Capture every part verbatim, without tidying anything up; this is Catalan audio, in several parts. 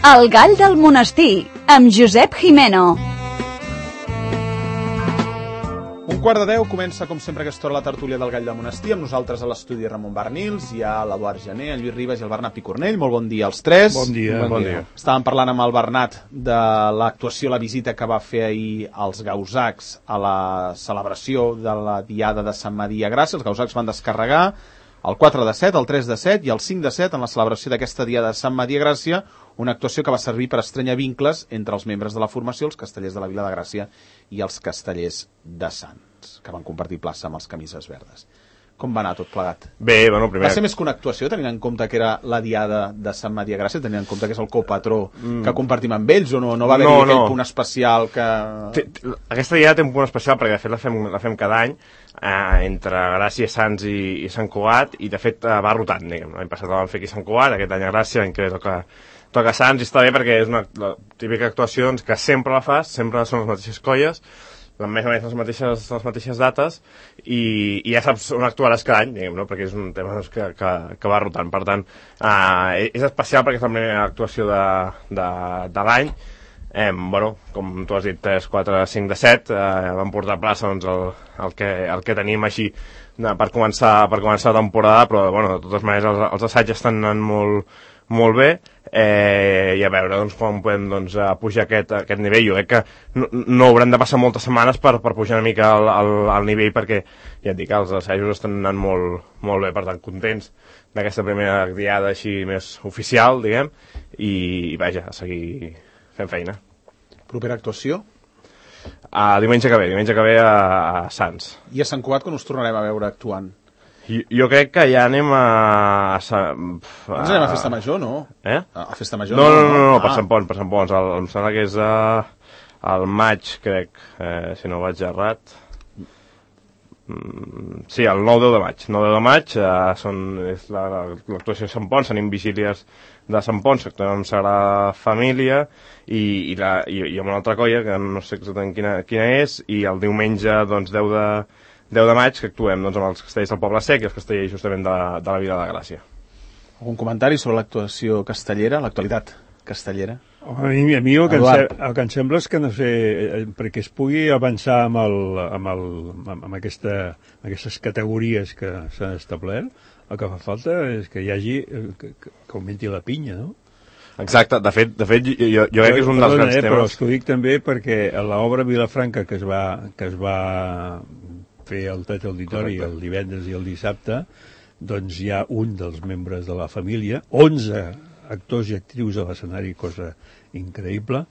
El gall del monestir, amb Josep Jimeno. Un quart de deu comença, com sempre, aquesta hora la tertúlia del Gall del Monestir. Amb nosaltres a l'estudi Ramon Barnils, hi ha l'Eduard Gené, el Lluís Ribas i el Bernat Picornell. Molt bon dia als tres. Bon dia. Bon, bon dia. dia. Estàvem parlant amb el Bernat de l'actuació, la visita que va fer ahir als Gausacs a la celebració de la Diada de Sant Maria Gràcia. Els Gausacs van descarregar el quatre de set, el tres de set i el cinc de set en la celebració d'aquesta Diada de Sant Maria Gràcia, una actuació que va servir per estrenyar vincles entre els membres de la formació, els castellers de la Vila de Gràcia i els castellers de Sants, que van compartir plaça amb els camises verdes. Com va anar tot plegat? Bé, bueno, primer... Va ser més que una actuació, tenint en compte que era la Diada de Sant Maria Gràcia, tenint en compte que és el copatró mm. que compartim amb ells, o no, no va haver-hi no, aquell no. punt especial que... T Aquesta Diada té un punt especial perquè de fet la fem, la fem cada any eh, entre Gràcia, Sants i, i Sant Cugat, i de fet eh, va rotant, diguem. L'any passat la vam fer aquí a Sant Cugat, aquest any a Gràcia, l'any que ve toca, toca Sants, i està bé perquè és una la típica actuació doncs, que sempre la fas, sempre són les mateixes colles, més o menys les mateixes, les mateixes dates, i, i ja saps on actuaràs cada any, diguem, no? Perquè és un tema doncs, que, que, que va rotant. Per tant, eh, és especial perquè és la primera actuació de, de, de l'any. Eh, bueno, com tu has dit, tres, quatre, cinc de set, eh, vam portar a plaça doncs, el, el, que, el que tenim així de, per, començar, per començar la temporada, però bueno, de totes maneres els, els assaigs estan anant molt, molt bé. Eh, i a veure doncs, com podem doncs, pujar aquest, aquest nivell. Jo crec que no, no hauran de passar moltes setmanes per, per pujar una mica al, al, al nivell, perquè ja et dic, els assajos estan anant molt, molt bé, per tant contents d'aquesta primera diada així més oficial, diguem, i, i vaja, a seguir fent feina. Propera actuació? Uh, diumenge que ve, diumenge que ve a, a Sants. I a Sant Cugat quan us tornarem a veure actuant? Jo, jo crec que ja anem a... a, a Ens anem a Festa Major, no? Eh? A Festa Major? No, no, no, no, no ah. per Sant Pons, per Sant Pons. El, em sembla que és uh, al maig, crec, eh, si no vaig errat. Mm, sí, el nou deu de maig. nou deu de maig uh, són, és l'actuació de Sant Pons, tenim vigílies de Sant Pons, actuem amb Sagrada Família, i, i, la, i, i amb una altra colla, que no sé exactament quina, quina és, i el diumenge, doncs, deu de... deu de maig, que actuem doncs, amb els castellers del Poble Sec i els castellers justament de, de la Vila de Gràcia. Algun comentari sobre l'actuació castellera, l'actualitat castellera? A mi, a mi el, que em, el que em sembla és que, no sé, perquè es pugui avançar amb, el, amb, el, amb, aquesta, amb aquestes categories que s'han establert, el que fa falta és que hi hagi, que, que augmenti la pinya, no? Exacte, de fet, de fet jo, jo crec que és un dels grans eh, temes. Però us ho dic també perquè a l'obra Vilafranca que es va, que es va fer el Teatre Auditori el divendres i el dissabte, doncs hi ha un dels membres de la família, onze actors i actrius a l'escenari, cosa increïble,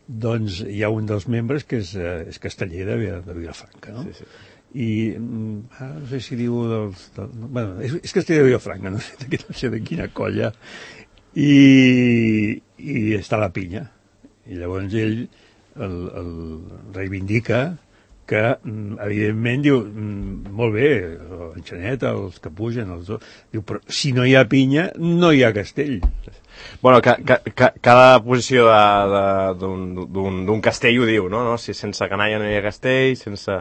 doncs hi ha un dels membres que és, és casteller de, de Vilafranca, no? Sí, sí. I ah, no sé si diu del, del, bueno, és, és casteller de Vilafranca, no sé, de, no sé de quina colla, i, i està a la pinya, i llavors ell el, el reivindica que, evidentment, diu, molt bé, l'enxaneta, els que pugen, els dos, diu, però si no hi ha pinya, no hi ha castell. Bueno, ca, ca, ca, cada posició d'un castell ho diu, no? no? Si sense canalla no hi ha castell, sense...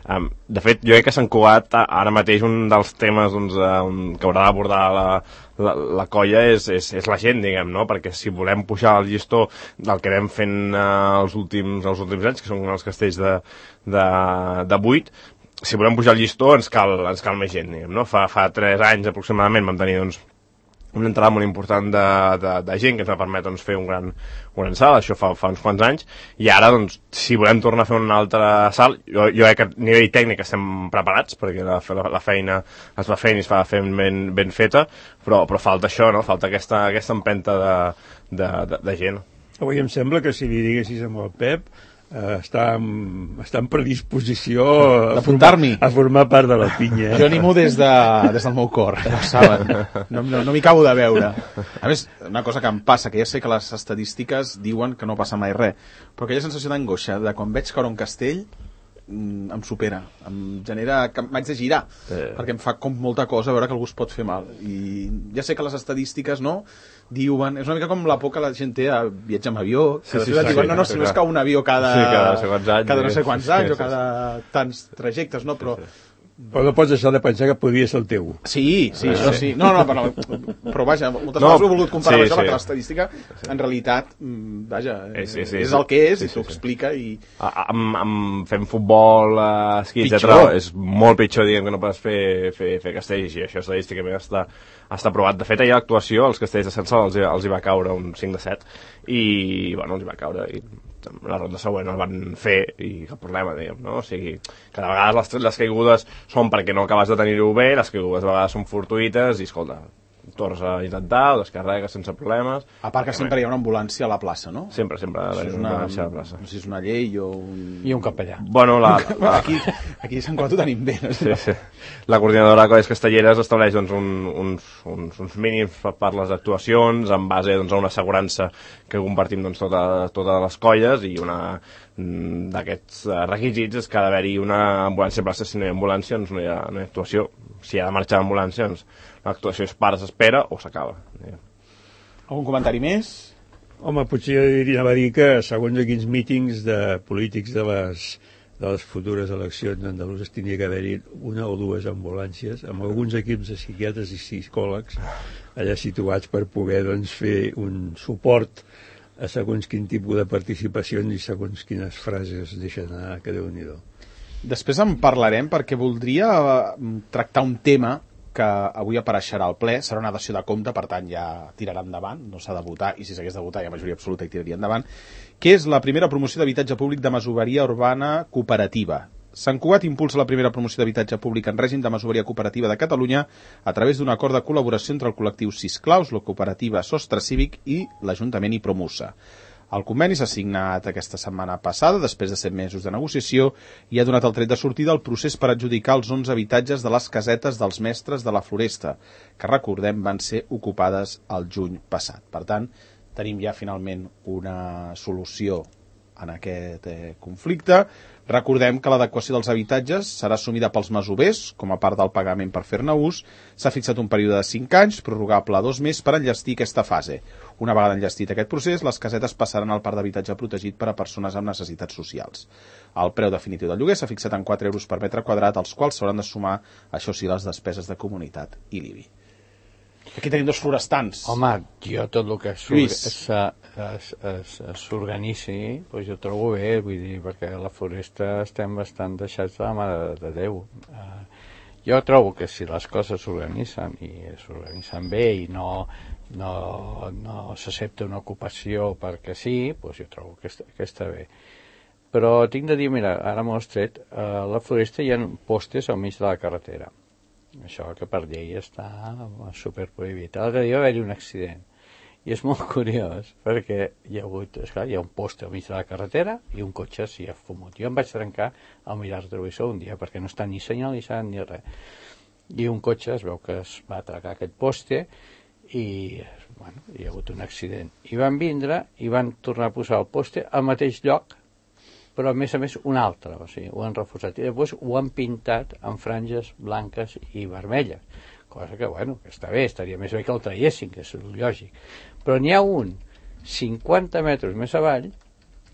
Um, de fet, jo crec que Sant Cugat, ara mateix, un dels temes doncs, um, que haurà d'abordar la, la, la colla és, és, és la gent, diguem, no? Perquè si volem pujar el llistó del que anem fent uh, els, últims, els últims anys, que són els castells de, de, de vuit, si volem pujar el llistó ens cal, ens cal més gent, diguem, no? Fa, fa tres anys aproximadament vam tenir, doncs, una entrada molt important de, de, de gent que ens va permetre doncs, fer un gran, un gran salt, això fa, fa uns quants anys, i ara, doncs, si volem tornar a fer un altre salt, jo, jo crec que a nivell tècnic estem preparats, perquè la, la, la feina es va fent i es va fent ben, ben feta, però, però falta això, no? Falta aquesta, aquesta empenta de, de, de, de gent. Avui em sembla que si li diguessis amb el Pep, Uh, està, en, està en predisposició d'apuntar-m'hi a formar part de la pinya. Jo animo des, de, des del meu cor, ja ho saben, no, no, no m'hi acabo de veure. A més, una cosa que em passa, que ja sé que les estadístiques diuen que no passa mai res, però aquella sensació d'angoixa de quan veig caure un castell em supera, em genera que m'haig de girar, eh. perquè em fa com molta cosa veure que algú es pot fer mal, i ja sé que les estadístiques no diuen, és una mica com la por que la gent té a viatjar amb avió, que sí, sí, sí, diuen, sí, no, no, si no és que un avió cada, sí, cada, no sé quants anys, cada no sé quants anys, sí, o cada tants trajectes, no? Però, sí, sí. Però no pots deixar de pensar que podria ser el teu. Sí, sí, això sí. No, no, però, però vaja, moltes No, vegades ho he volgut comparar sí, amb això, sí. perquè l'estadística, en realitat, mm, vaja, Eh, sí, sí, és sí. el que és Sí, i t'ho sí, sí. explica i... A- Amb, amb fent futbol, eh, esquí, Pitjor. etcètera, és molt pitjor, diguem, que no pots fer, fer, fer castells, i això estadísticament està, està provat. De fet, ahir a l'actuació, els castells de Censal els, hi- els hi va caure un cinc de set, i, bueno, els hi va caure, i la ronda següent el van fer, i cap problema, diguem, no? O sigui, cada vegada les, les caigudes són perquè no acabes de tenir-ho bé, les caigudes a vegades són fortuïtes, i, escolta, tornes a intentar, ho descarregues sense problemes. A part que sempre hi ha una ambulància a la plaça, no? Sempre, sempre ha Això d'haver és una una, ambulància a la plaça. no sé si és una llei o un... I un capellà. Bueno, la, la, Aquí, aquí a Sant Cugat ho tenim bé, no? sí, sí. La coordinadora de Colles Castelleres estableix doncs, un, uns, uns, uns mínims per, per les actuacions en base doncs, a una assegurança que compartim doncs, tota, totes les colles, i una mm, d'aquests eh, requisits és que ha d'haver-hi una ambulància a plaça. Si no hi ha ambulància, doncs no hi ha, no hi ha actuació. Si ha de marxar l'ambulància, doncs l'actuació es para, s'espera o s'acaba. Algun comentari més? Home, potser anava a dir que segons quins mítings de polítics de les, de les futures eleccions andaluses tindria que haver-hi una o dues ambulàncies amb alguns equips de psiquiatres i psicòlegs allà situats per poder doncs, fer un suport a segons quin tipus de participacions i segons quines frases deixen anar, que Déu-n'hi-do. Després en parlarem perquè voldria eh, tractar un tema que avui apareixerà al ple, serà una dació de compte, per tant ja tirarà endavant, no s'ha de votar, i si s'hagués de votar hi ha majoria absoluta i tiraria endavant, que és la primera promoció d'habitatge públic de masoveria urbana cooperativa. Sant Cugat impulsa la primera promoció d'habitatge públic en règim de masoveria cooperativa de Catalunya a través d'un acord de col·laboració entre el col·lectiu Sisclaus, la cooperativa Sostre Cívic i l'Ajuntament i Promusa. El conveni s'ha signat aquesta setmana passada, després de set mesos de negociació, i ha donat el tret de sortida al procés per adjudicar els onze habitatges de les casetes dels mestres de la Floresta, que recordem van ser ocupades el juny passat. Per tant, tenim ja finalment una solució en aquest eh, conflicte. Recordem que l'adequació dels habitatges serà assumida pels masovers com a part del pagament per fer-ne ús. S'ha fixat un període de cinc anys, prorrogable a dos més, per enllestir aquesta fase. Una vegada enllestit aquest procés, les casetes passaran al parc d'habitatge protegit per a persones amb necessitats socials. El preu definitiu del lloguer s'ha fixat en quatre euros per metre quadrat, als quals s'hauran de sumar, això sí, les despeses de comunitat i l'I B I. Aquí tenim dos florestans. Home, jo tot el que Lluís. s'organitzi, doncs jo trobo bé, vull dir, perquè a la Floresta estem bastant deixats de la mà de, de Déu. Uh, jo trobo que si les coses s'organitzen i s'organitzen bé i no, no, no s'accepta una ocupació perquè sí, doncs jo trobo que està, que està bé. Però tinc de dir, mira, ara m'ho has tret, a la Floresta hi ha postes al mig de la carretera. Això que per llei està superprohibit. L'altre dia va haver-hi un accident i és molt curiós perquè hi ha hagut, esclar, hi ha un poste al mig de la carretera i un cotxe s'hi ha fumut. Jo em vaig trencar al mirar el retrovisor un dia perquè no està ni senyalitzat ni res. I un cotxe es veu que es va atracar aquest poste i bueno, hi ha hagut un accident. I van vindre i van tornar a posar el poste al mateix lloc, però a més a més un altre, o sigui, ho han reforçat i després ho han pintat amb franges blanques i vermelles, cosa que, bueno, que està bé, estaria més bé que el traiessin, que és lògic, però n'hi ha un cinquanta metres més avall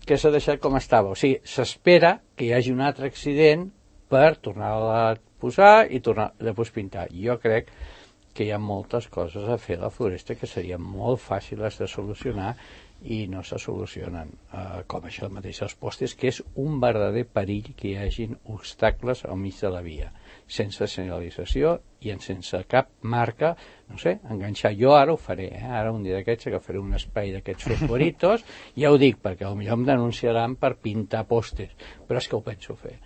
que s'ha deixat com estava, o sigui, s'espera que hi hagi un altre accident per tornar-la a posar i tornar després pintar. Jo crec que hi ha moltes coses a fer a la Floresta que serien molt fàcils de solucionar i no se solucionen, uh, com això mateix els postes, que és un verdader perill que hi hagin obstacles al mig de la via, sense senyalització i sense cap marca, no sé, enganxar. Jo ara ho faré, eh? Ara un dia d'aquests agafaré un espai d'aquests fosforitos, ja ho dic, perquè potser em denunciaran per pintar postes, però és que ho penso fer,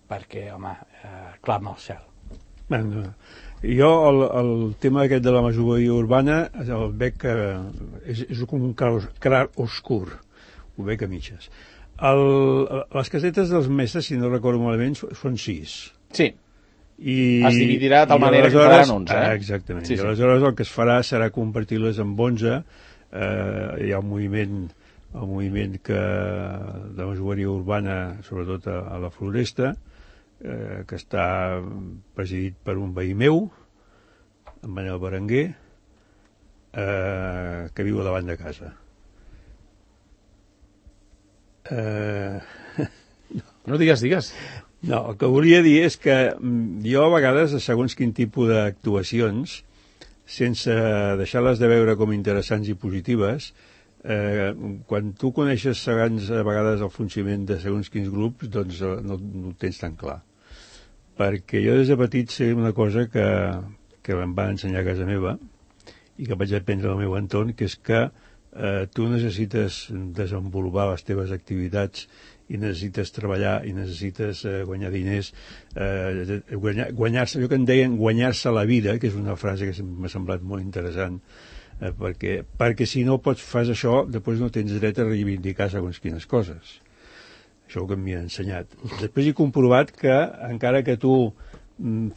perquè, home, uh, clama al cel. Bueno, jo el, el tema aquest de la masoveria urbana el veig que és, és com un clar oscur, ho veig a mitges. El, les casetes dels mestres, si no recordo malament, són sis. Sí. I, es dividirà de tal manera que quedaran onze. Eh? Exactament. Sí, sí. I aleshores el que es farà serà compartir-les amb onze. Eh, hi ha un moviment, el moviment que, de masoveria urbana, sobretot a, a la Floresta, Eh, que està presidit per un veí meu, en Manel Berenguer, eh, que viu a davant de casa. Eh... No digues, digues. No, el que volia dir és que jo a vegades, segons quin tipus d'actuacions, sense deixar-les de veure com interessants i positives, eh, quan tu coneixes segons a vegades el funcionament de segons quins grups, doncs no, no ho tens tan clar. Perquè jo des de petit sé una cosa que, que em va ensenyar a casa meva i que vaig aprendre al meu entorn, que és que eh, tu necessites desenvolupar les teves activitats i necessites treballar i necessites eh, guanyar diners, eh, guanyar, guanyar-se, allò que en deien guanyar-se la vida, que és una frase que m'ha semblat molt interessant, eh, perquè, perquè si no pots fas això, després no tens dret a reivindicar segons quines coses. Això que m'hi ha ensenyat. Després he comprovat que encara que tu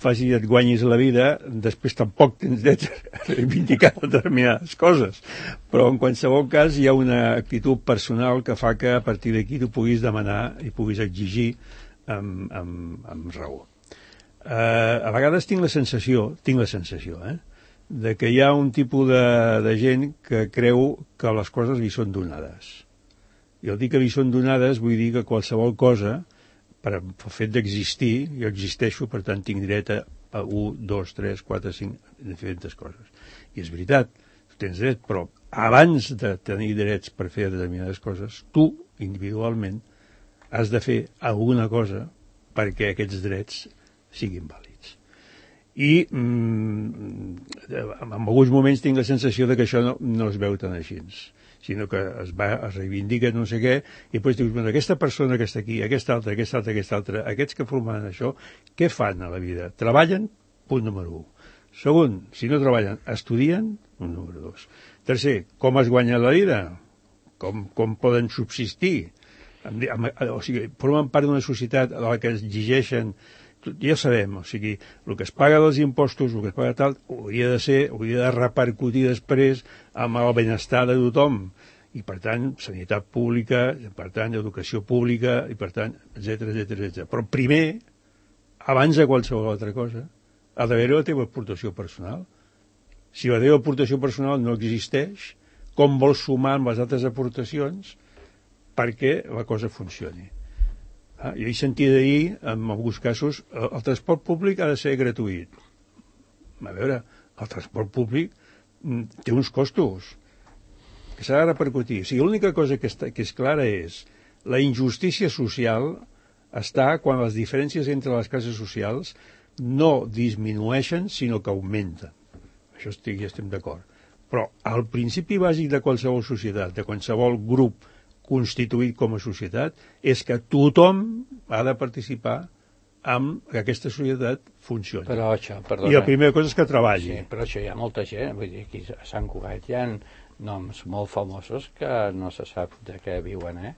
faci i et guanyis la vida, després tampoc tens dret a reivindicar determinades coses. Però en qualsevol cas hi ha una actitud personal que fa que a partir d'aquí tu puguis demanar i puguis exigir amb, amb, amb raó. Eh, a vegades tinc la sensació, tinc la sensació, eh, de que hi ha un tipus de, de gent que creu que les coses li són donades. I el dir que li són donades vull dir que qualsevol cosa, per el fet d'existir, jo existeixo, per tant tinc dret a un, dos, tres, quatre, cinc, diferents coses. I és veritat, tu tens dret, però abans de tenir drets per fer determinades coses, tu, individualment, has de fer alguna cosa perquè aquests drets siguin vàlids. I mm, en alguns moments tinc la sensació de que això no, no es veu tan així, sinó que es, va, es reivindica no sé què, i després dius, bueno, aquesta persona que està aquí, aquesta altra, aquesta altra, aquesta altra, aquests que formen això, què fan a la vida? Treballen? Punt número un. Segon, si no treballen, estudien? Punt número dos. Tercer, com es guanya la vida? Com, com poden subsistir? O sigui, formen part d'una societat a la que es exigeixen, ja sabem, o sigui, el que es paga dels impostos, el que es paga tal, hauria de ser, hauria de repercutir després amb el benestar de tothom, i per tant, sanitat pública, i per tant, educació pública, i per tant, etcètera, etcètera, etcètera. Però primer, abans de qualsevol altra cosa, ha d'haver la teva aportació personal. Si la teva aportació personal no existeix, com vols sumar amb les altres aportacions perquè la cosa funcioni? Ah, jo he sentit ahir, en alguns casos, el, el transport públic ha de ser gratuït. A veure, el transport públic mm, té uns costos que s'ha de repercutir. O sigui, l'única cosa que, està, que és clara és la injustícia social està quan les diferències entre les classes socials no disminueixen, sinó que augmenten. Això estic, ja estem d'acord. Però el principi bàsic de qualsevol societat, de qualsevol grup constituït com a societat, és que tothom ha de participar amb que aquesta societat funcioni. Però això, perdona. I la primera cosa és que treballi. Sí, però això hi ha molta gent, vull dir, aquí a Sant Cugat hi ha noms molt famosos que no se sap de què viuen, eh?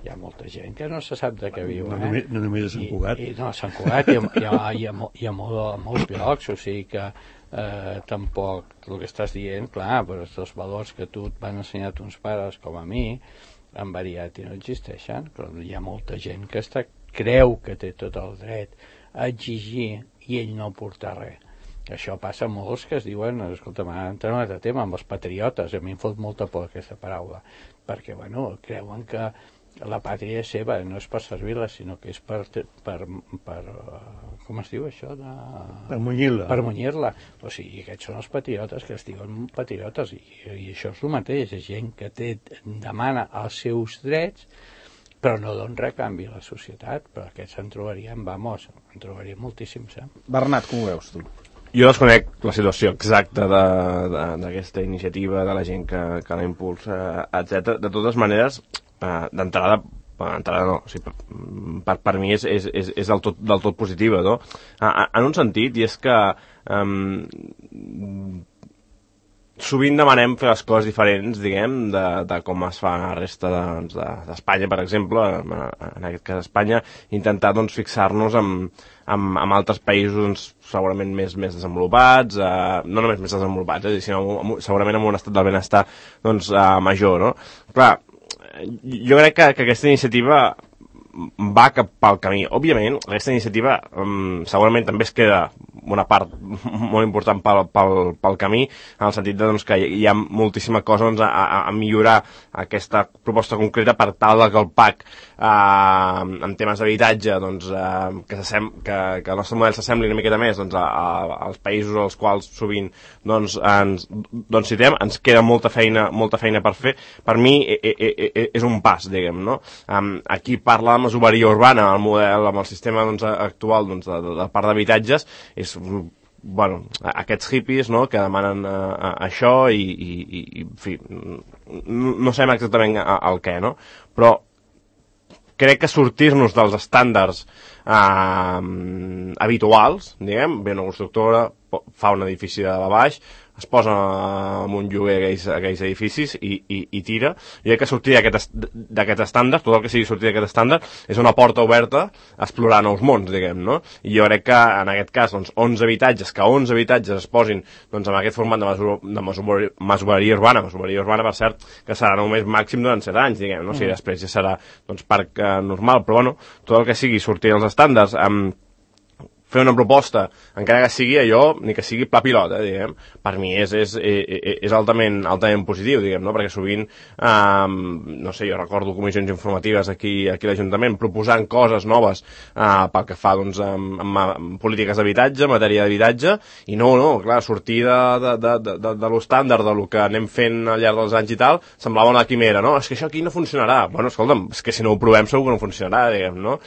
Hi ha molta gent que no se sap de què viuen, no, només, no només a Sant Cugat. I, i, no, a Sant Cugat hi ha, hi ha, hi ha, hi ha molt, molts llocs, o sigui que eh, tampoc el que estàs dient, clar, però els valors que tu et van ensenyar tons pares, com a mi, han variat i no existeixen, però hi ha molta gent que està, creu que té tot el dret a exigir i ell no portar res. Això passa a molts que es diuen, escolta, m'ha entrat un altre tema, amb els patriotes, a mi em fot molta por aquesta paraula, perquè, bueno, creuen que la pàtria és seva, no és per servir-la, sinó que és per, per, per com es diu això? De... Per munyir-la. Per munyir-la. O sigui, aquests són els patriotes que es diuen patriotes, i, i això és el mateix, és gent que té, demana els seus drets, però no don res canvi a la societat, però aquests se'n trobarien, vamos, en trobarien moltíssims, eh? Bernat, com ho veus tu? Jo desconec la situació exacta d'aquesta iniciativa, de la gent que, que la impulsa, etcètera. De totes maneres, eh, d'entrada, d'entrada no, o sigui, per, per mi és, és, és, és del, tot, del tot positiva, no? En un sentit, i és que um, sovint demanem fer les coses diferents, diguem, de, de com es fa a la resta d'Espanya, de, per exemple, en aquest cas Espanya, intentar doncs, fixar-nos amb, amb, amb altres països doncs, segurament més, més desenvolupats, eh, no només més desenvolupats, eh, sinó amb, segurament amb un estat del benestar doncs, eh, major, no? Clar, jo crec que, que aquesta iniciativa va cap pel camí. Òbviament, aquesta iniciativa um, segurament també es queda una part molt important pel, pel, pel camí, en el sentit de, doncs, que hi ha moltíssima cosa doncs, a, a, a millorar aquesta proposta concreta per tal que el P A C en temes d'habitatge doncs, eh, que, que, que el nostre model s'assembli una miqueta més doncs, a, a, als països als quals sovint doncs, ens doncs, citem, ens queda molta feina, molta feina per fer. Per mi e, e, e, és un pas, diguem, no? Um, aquí parla de masoveria urbana, el model, amb el sistema doncs, actual doncs, de, de, de part d'habitatges, és bueno, aquests hippies, no?, que demanen uh, això i, i, i en fi, no, no sabem exactament el què, no? Però crec que sortir-nos dels estàndards uh, habituals, diguem, ve una constructora, fa un edifici de baix, es posa en un lloguer aquells, aquells edificis i, i, i tira. Jo crec que sortir d'aquest estàndard, tot el que sigui sortir d'aquest estàndard, és una porta oberta a explorar nous mons, diguem, no? I jo crec que en aquest cas, doncs, onze habitatges, que onze habitatges es posin doncs, en aquest format de, mesura, de masoveria, masoveria urbana, masoveria urbana, per cert, que serà només màxim durant set anys, diguem, no? O sigui, després ja serà doncs, parc eh, normal, però bueno, tot el que sigui sortir dels estàndards amb fer una proposta, encara que sigui allò, ni que sigui pla pilot, eh, diguem, per mi és, és, és altament, altament positiu, diguem, no? Perquè sovint, eh, no sé, jo recordo comissions informatives aquí, aquí a l'Ajuntament proposant coses noves eh, pel que fa, doncs, amb, amb polítiques d'habitatge, matèria d'habitatge, i no, no, clar, sortir de, de, de, de, de, de l'estàndard, de lo que anem fent al llarg dels anys i tal, semblava una quimera, no? És que això aquí no funcionarà. Bueno, escolta'm, és que si no ho provem segur que no funcionarà, diguem, no?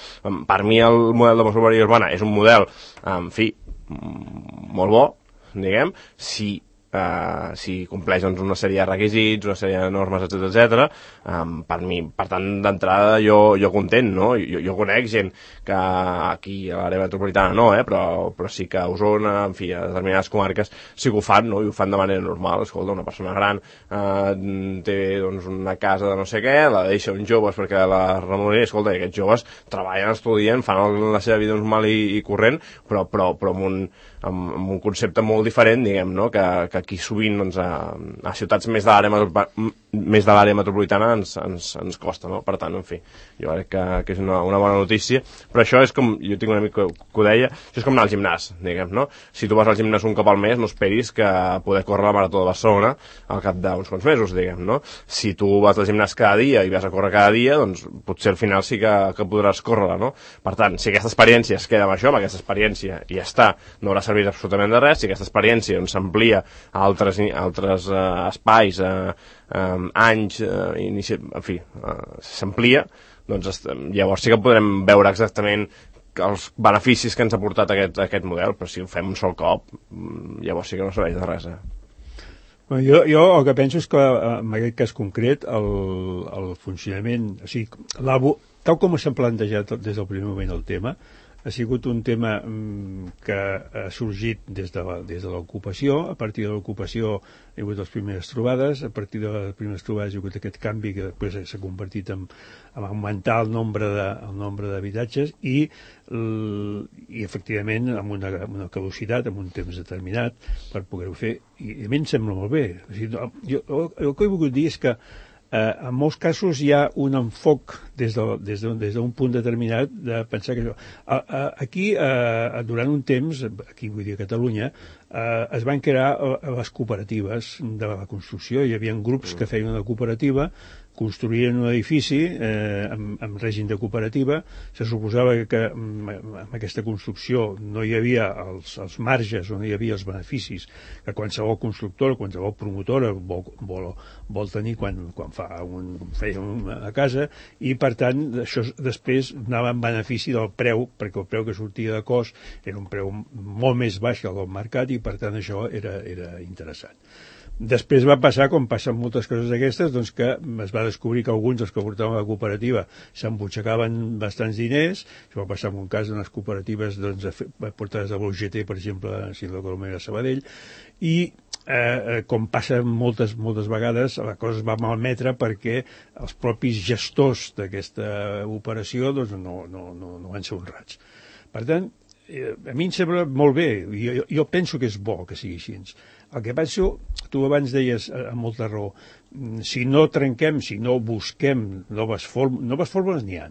Per mi el model de masoveria urbana és un model en fi, molt bo, diguem, si, uh, si compleix doncs, una sèrie de requisits, una sèrie de normes, etcètera, etcètera. Um, per mi, per tant, d'entrada jo, jo content, no? Jo, jo conec gent que aquí a l'àrea metropolitana no, eh? però, però sí que a Osona, en fi, a determinades comarques sí que ho fan, no? I ho fan de manera normal. Escolta, una persona gran eh, té doncs, una casa de no sé què, la deixa uns joves perquè la remuneri, escolta, i aquests joves treballen, estudien, fan la seva vida normal i, i corrent, però, però, però amb, un, amb, amb un concepte molt diferent, diguem, no? que, que aquí sovint doncs, a, a ciutats més de l'àrea més de l'àrea metropolitana ens, ens, ens costa, no? Per tant, en fi, jo crec que, que és una, una bona notícia, però això és com, jo tinc una amic que, que ho deia, això és com anar al gimnàs, diguem, no? Si tu vas al gimnàs un cop al mes, no esperis que poder córrer la Marató de Barcelona al cap d'uns quants mesos, diguem, no? Si tu vas al gimnàs cada dia i vas a córrer cada dia, doncs potser al final sí que, que podràs córrer-la, no? Per tant, si aquesta experiència es queda amb això, amb aquesta experiència i ja està, no haurà servit absolutament de res. Si aquesta experiència doncs, s'amplia a altres, a altres uh, espais, uh, um, anys, uh, inici... en fi, uh, s'amplia, doncs llavors sí que podrem veure exactament els beneficis que ens ha portat aquest, aquest model, però si ho fem un sol cop, llavors sí que no serveix de res, eh? Bueno, jo, jo el que penso és que en aquest cas concret el, el funcionament, o sigui, tal com s'ha plantejat des del primer moment el tema, ha sigut un tema mm, que ha sorgit des de la, des de l'ocupació. A partir de l'ocupació hi ha hagut les primeres trobades, a partir de les primeres trobades hi ha hagut aquest canvi que després s'ha convertit en, en augmentar el nombre de, el nombre d'habitatges i, i efectivament amb una, amb una caducitat, amb un temps determinat per poder-ho fer, i a mi em sembla molt bé. O sigui, jo, el que he volgut dir és que Eh, en molts casos hi ha un enfoc des d'un de, des de, punt determinat de pensar que això... A, a, aquí, eh, durant un temps, aquí vull dir a Catalunya, eh, es van crear les cooperatives de la construcció. Hi havia grups que feien una cooperativa, construïen un edifici eh, amb, amb règim de cooperativa. Se suposava que amb aquesta construcció no hi havia els, els marges o no hi havia els beneficis que qualsevol constructor, qualsevol promotora vol, vol, vol tenir quan, quan fa un, feia una casa, i per tant això després anava en benefici del preu, perquè el preu que sortia de cost era un preu molt més baix que el del mercat i per tant això era, era interessant. Després va passar, com passen moltes coses d'aquestes, doncs que es va descobrir que alguns dels que portaven la cooperativa s'embutxacaven bastants diners. Això va passar en un cas d'unes cooperatives doncs, portades de l'U G T, per exemple, a Silva Colomera, Sabadell, i eh, com passa moltes, moltes vegades, la cosa es va malmetre perquè els propis gestors d'aquesta operació doncs, no, no, no, no van ser honrats. Per tant, eh, a mi em sembla molt bé, jo, jo penso que és bo que sigui així. El que penso, tu abans deies amb molta raó, si no trenquem, si no busquem noves fórmules, noves fórmules n'hi ha.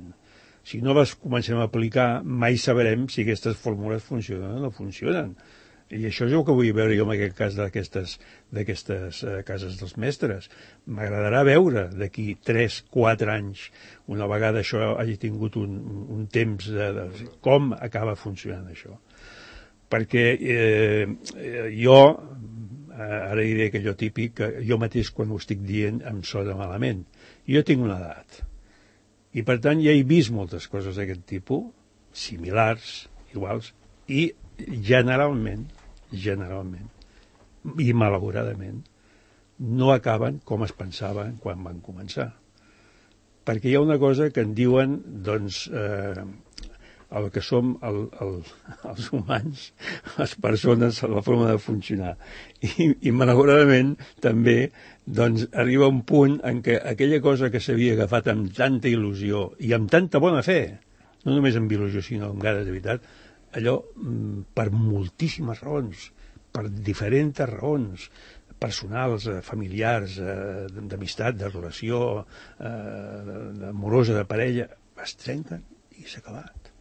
Si no les comencem a aplicar, mai sabrem si aquestes fórmules funcionen o no funcionen. I això és el que vull veure jo en aquest cas d'aquestes d'aquestes eh, cases dels mestres. M'agradarà veure d'aquí tres quatre anys, una vegada això hagi tingut un, un temps de, de com acaba funcionant això. Perquè eh, jo, ara diré allò típic, que jo mateix quan ho estic dient em sona malament. Jo tinc una edat. I per tant ja he vist moltes coses d'aquest tipus, similars, iguals, i generalment, generalment, i malauradament, no acaben com es pensaven quan van començar. Perquè hi ha una cosa que en diuen, doncs, eh, el que som el, el, els humans, les persones, la forma de funcionar. I, i malauradament també doncs, arriba un punt en què aquella cosa que s'havia agafat amb tanta il·lusió i amb tanta bona fe, no només amb il·lusió sinó amb ganes de veritat, allò per moltíssimes raons, per diferents raons, personals, familiars, d'amistat, de relació, amorosa, de parella, es trenquen i s'ha acabat.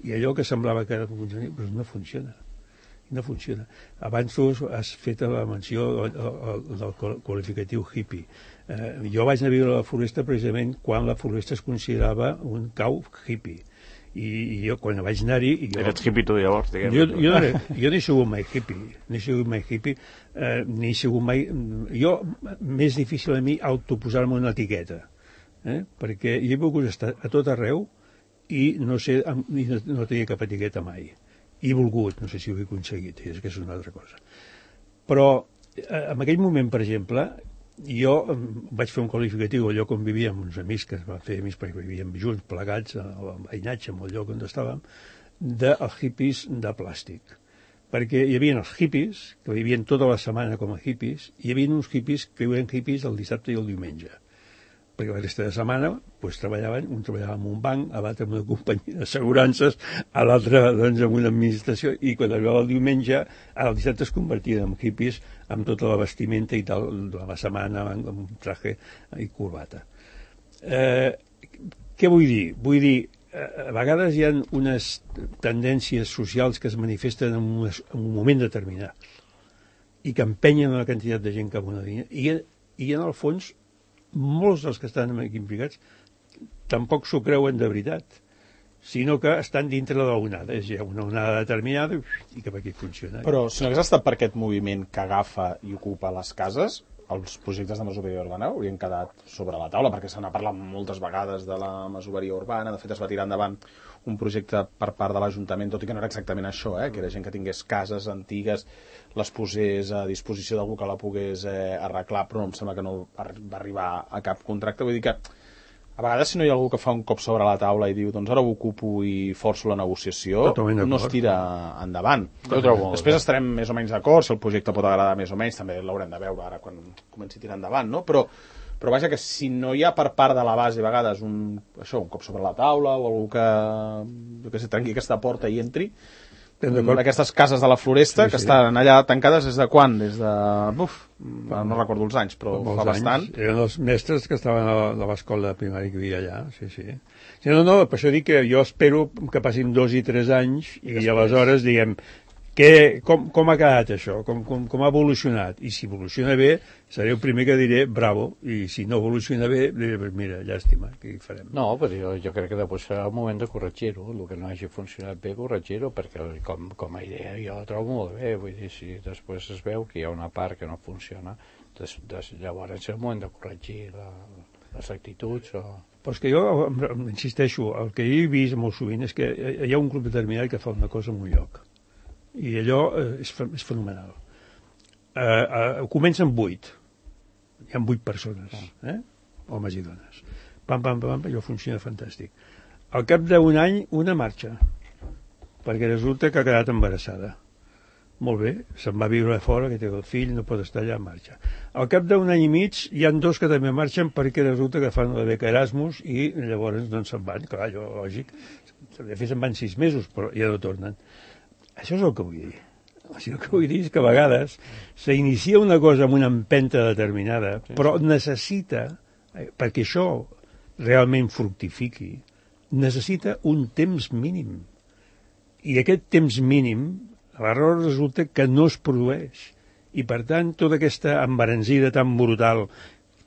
I allò que semblava que funcionava, però no funciona. No funciona. Abans tu has fet la menció del qualificatiu hippie. Eh, jo vaig anar a viure a la Floresta precisament quan la Floresta es considerava un cau hippie. I, i jo quan vaig anar-hi... Eres hippie tu llavors, diguem. Jo, jo, no, jo no he sigut mai hippie, no he sigut mai hippie, eh, ni he sigut mai... Jo, més difícil a mi autoposar-me una etiqueta, eh? Perquè jo he volgut estar a tot arreu i no sé, no, no tenia cap etiqueta mai. He volgut, no sé si ho he aconseguit, és que és una altra cosa. Però en aquell moment, per exemple, jo vaig fer un qualificatiu al lloc on vivia amb uns amics, que es van fer amics perquè vivíem junts, plegats, a veïnatge, en el lloc on estàvem, dels hippies de plàstic. Perquè hi havia els hippies, que vivien tota la setmana com a hippies, i hi havia uns hippies que viuen hippies el dissabte i el diumenge. Perquè la resta de setmana pues, treballaven, un treballava en un banc, l'altre en una companyia d'assegurances, l'altre doncs, en una administració, i quan arribava el diumenge, el dissabte es convertien en hippies amb tota la vestimenta i tal, de la setmana, amb un traje i corbata. Eh, què vull dir? Vull dir, a vegades hi ha unes tendències socials que es manifesten en un, en un moment determinat i que empenyen una quantitat de gent cap a una línia, i, i en el fons molts dels que estan aquí implicats tampoc s'ho creuen de veritat, sinó que estan dintre de l'onada. És una onada determinada i cap aquí funciona. Però si no hagués estat per aquest moviment que agafa i ocupa les cases, els projectes de masoveria urbana haurien quedat sobre la taula, perquè se n'ha parlat moltes vegades de la masoveria urbana. De fet, es va tirar endavant un projecte per part de l'Ajuntament, tot i que no era exactament això, eh? Que era gent que tingués cases antigues, les posés a disposició d'algú que la pogués eh, arreglar, però no em sembla que no va arribar a cap contracte. Vull dir que a vegades si no hi ha algú que fa un cop sobre la taula i diu doncs ara ho ocupo i forço la negociació, no es tira endavant. Després estarem més o menys d'acord, si el projecte pot agradar més o menys, també l'haurem de veure ara quan comenci a tirar endavant, no? Però, però vaja, que si no hi ha per part de la base a vegades un, això, un cop sobre la taula o algú que, que se trenqui aquesta porta i entri, aquestes cases de la Floresta, sí, que sí. Estan allà tancades des de quan? Des de... Uf, no recordo els anys, però fa bastant. Anys. Eren els mestres que estaven a l'escola primària que hi havia allà, sí, sí. sí no, no, per això dic que jo espero que passin dos i tres anys i, i aleshores diguem que, com, com ha quedat això, com, com, com ha evolucionat, i si evoluciona bé seré el primer que diré bravo, i si no evoluciona bé diré mira, llàstima, què hi farem? No, però jo, jo crec que després serà el moment de corregir-ho, el que no hagi funcionat bé corregir-ho, perquè com, com a idea jo la trobo molt bé, vull dir, si després es veu que hi ha una part que no funciona, des, des, llavors és el moment de corregir la, les actituds o... Però és que jo insisteixo, el que he vist molt sovint és que hi ha un grup determinat que fa una cosa en un lloc i allò és, és fenomenal. Eh, eh, comença amb vuit, hi ha vuit persones, eh? Homes i dones, pam, pam, pam, pam, allò funciona fantàstic. Al cap d'un any una marxa perquè resulta que ha quedat embarassada, molt bé, se'n va viure a fora, que té el fill, no pot estar allà, marxa. Al cap d'un any i mig hi ha dos que també marxen perquè resulta que fan la beca Erasmus i llavors doncs se'n van, clar, allò lògic, de fet se'n van sis mesos però ja no tornen. Això és el que vull dir. Això el que vull dir és que a vegades s'inicia una cosa amb una empenta determinada, però necessita, perquè això realment fructifiqui, necessita un temps mínim. I aquest temps mínim L'error resulta que no es produeix. I, per tant, tota aquesta embaransida tan brutal,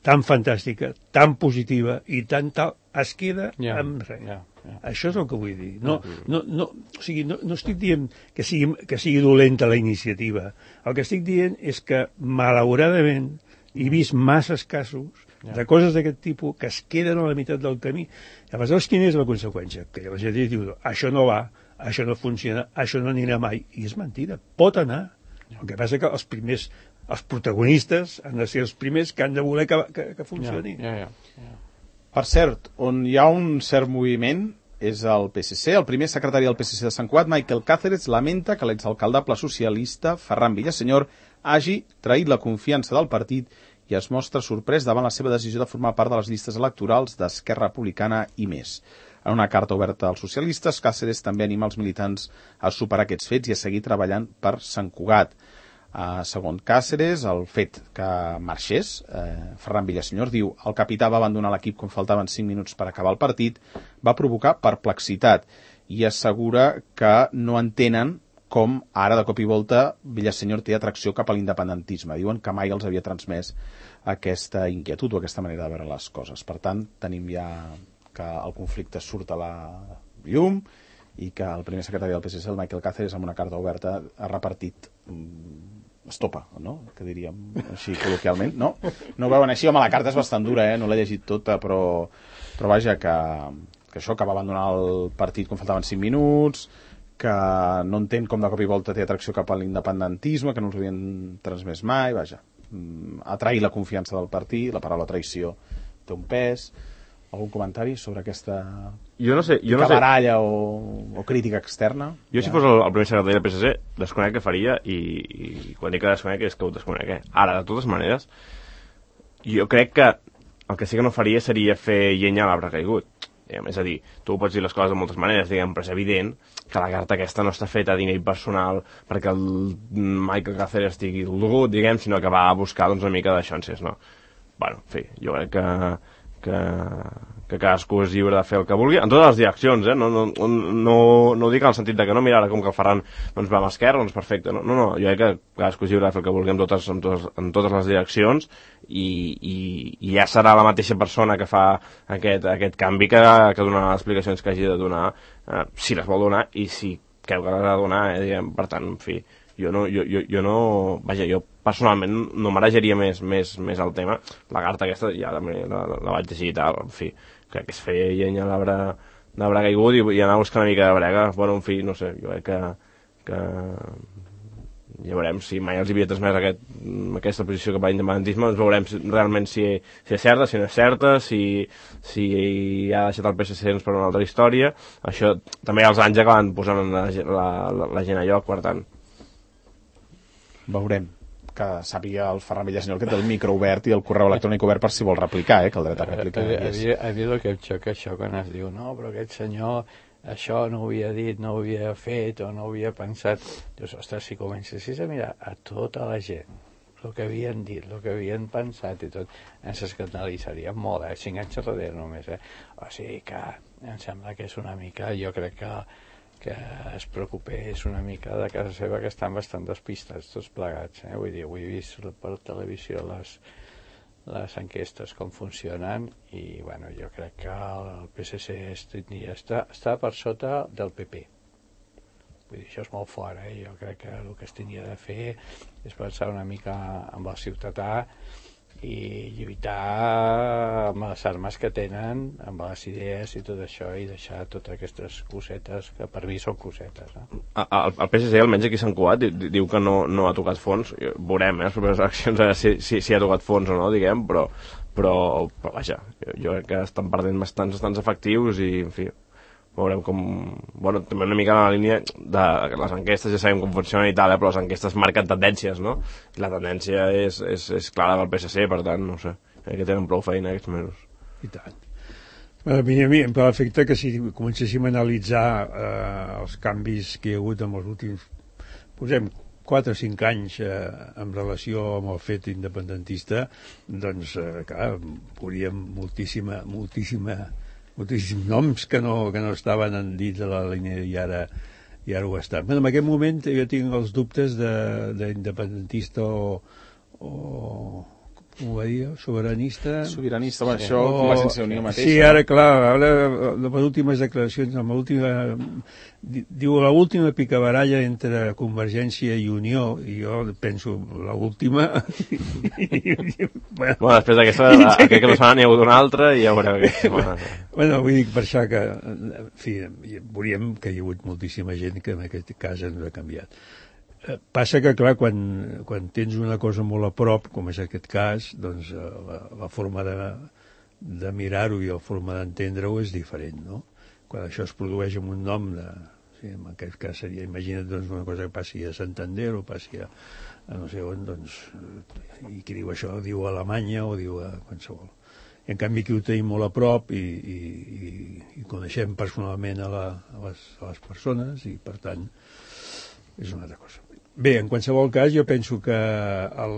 tan fantàstica, tan positiva i tan tal, es queda yeah, amb res. Yeah, yeah. Això és el que vull dir. No, no, no, o sigui, no, no estic dient que sigui, que sigui dolenta la iniciativa. El que estic dient és que, malauradament, he vist masses casos yeah. de coses d'aquest tipus que es queden a la meitat del camí. Aleshores, quina és la conseqüència? Que la gent diu, això no va, això no funciona, això no anirà mai. I és mentida, pot anar. El que passa que els primers, els protagonistes han de ser els primers que han de voler que, que, que funcioni. Yeah, yeah, yeah. Per cert, on hi ha un cert moviment és el P S C. El primer secretari del P S C de Sant Cugat, Michael Cáceres, lamenta que l'exalcaldable socialista Ferran Villasenyor hagi traït la confiança del partit i es mostra sorprès davant la seva decisió de formar part de les llistes electorals d'Esquerra Republicana i més. En una carta oberta als socialistes, Cáceres també anima els militants a superar aquests fets i a seguir treballant per Sant Cugat. Uh, segons Cáceres, el fet que marxés, eh, Ferran Villasenyor diu el capità va abandonar l'equip quan faltaven cinc minuts per acabar el partit, va provocar perplexitat i assegura que no entenen com ara de cop i volta Villasenyor té atracció cap a l'independentisme. Diuen que mai els havia transmès aquesta inquietud o aquesta manera de veure les coses. Per tant, tenim ja que el conflicte surt a la llum i que el primer secretari del P S C, el Michael Cáceres, amb una carta oberta ha repartit mm, estopa, no? Que diríem així col·loquialment. No, no ho veuen així. Home, la carta és bastant dura, eh? No l'he llegit tota, però, però vaja, que, que això, que va abandonar el partit quan faltaven cinc minuts, que no entén com de cop i volta té atracció cap a l'independentisme, que no us havien transmès mai, vaja. Atrair la confiança del partit, la paraula traïció té un pes. Algun comentari sobre aquesta jo no sé, jo no cabaralla sé. o, o crítica externa? Jo, ja. Si fos el, el primer secretari del P S C, desconec què faria i, i quan dic que desconec és que ho desconec. Eh? Ara, de totes maneres, jo crec que el que sí que no faria seria fer llenya a l'arbre caigut. Diguem, és a dir, tu pots dir les coses de moltes maneres, diguem, però és evident que la carta aquesta no està feta a nivell personal perquè el Michael Cáceres estigui dolgut, diguem, sinó que va a buscar doncs, una mica de xances, no? Bueno, en fi, jo crec que Que, que cadascú és lliure de fer el que vulgui, en totes les direccions, eh? No, no, no, no ho dic en el sentit de que no, mira, ara com que el Ferran doncs, va amb esquerra, doncs perfecte, no, no, no, jo crec que cadascú és lliure de fer el que vulgui en totes, en totes, en totes les direccions i, i, i ja serà la mateixa persona que fa aquest, aquest canvi que, que donarà les explicacions que hagi de donar, eh, si les vol donar i si creu que les ha de donar, eh, diguem, per tant, en fi, jo no, jo, jo, jo no, vaja, jo personalment no marejaria més, més, més el tema. La carta aquesta ja també la, la, la vaig llegir i tal, en fi, crec que es feia llenya a l'arbre d'arbre caigut i, i anar a buscar una mica de brega. Bueno, en fi, no sé, jo crec que, que ja veurem si mai els havia transmès aquest, aquesta posició cap a l'independentisme, doncs veurem si, realment si, si és certa, si no és certa, si, si ha deixat el P S C per una altra història. Això també els anys acaben posant la, la, la, la gent a lloc, per tant. Veurem. Que sàpiga el Ferran Villasenyor que té el micro obert i el correu electrònic obert per si vol replicar, eh, que el dret a replicar a, a, a mi el que em xoca això quan es diu no, però aquest senyor això no ho havia dit, no ho havia fet o no ho havia pensat. Dius, ostres, si comencessis a mirar a tota la gent el que havien dit, el que havien pensat i tot, ens escandalitzaríem molt, eh? Cinc anys darrere només, eh? O sigui que em sembla que és una mica, jo crec que que es preocupés una mica de casa seva, que estan bastant despistats tots plegats, eh? Vull dir, ho he vist per televisió les, les enquestes com funcionen i bueno, jo crec que el P S C està, està per sota del P P. Vull dir, això és molt fort, eh? Jo crec que el que es tenia de fer és pensar una mica amb el ciutadà i lluitar amb les armes que tenen, amb les idees i tot això, i deixar totes aquestes cosetes que per mi són cosetes, eh? El, el P S C, almenys aquí a Sant Cugat, diu que no, no ha tocat fons. Veurem, eh, les properes eleccions, eh, si, si, si ha tocat fons o no, diguem, però, però, però vaja, jo, jo crec que estan perdent bastants, bastants efectius i, en fi, veurem com... Bueno, també una mica en la línia de les enquestes, ja sabem com funcionen i tal, eh, però les enquestes marquen tendències, no? I la tendència és, és, és clara del P S C, per tant, no sé, crec que tenen prou feina aquests mesos. I tant. A mi, a mi em fa l'efecte que si comencéssim a analitzar eh, els canvis que hi ha hagut en els últims, posem, quatre o cinc anys eh, en relació amb el fet independentista, doncs, eh, clar, hauríem moltíssima, moltíssima moltíssims noms que no, que no estaven dins de la línia i ara, i ara ho està. Bueno, en aquest moment jo tinc els dubtes d'independentista o, o com ho va dir, sobiranista... Sobiranista, bueno, això, o, Convergència i Unió mateixa. Sí, ara, clar, ara, les últimes declaracions, amb l'última... Diu, l'última picabaralla entre Convergència i Unió, i jo penso, l'última... bueno, bueno, després d'aquesta, aquest que no s'ha n'hi ha hagut una altra, i ja veureu què. Bueno, vull dir, per això que, en fi, veuríem que hi ha hagut moltíssima gent que en aquest cas ens ha canviat. Passa que, clar, quan, quan tens una cosa molt a prop, com és aquest cas, doncs la, la forma de, de mirar-ho i la forma d'entendre-ho és diferent, no? Quan això es produeix amb un nom de... Sí, en aquest cas seria, imagina't, doncs, una cosa que passi a Santander o passi a, a no sé on, doncs... I qui diu això diu a Alemanya o diu a qualsevol. I en canvi aquí ho tenim molt a prop i, i, i, i coneixem personalment a, la, a, les, a les persones i, per tant, és una altra cosa. Bé, en qualsevol cas, jo penso que el,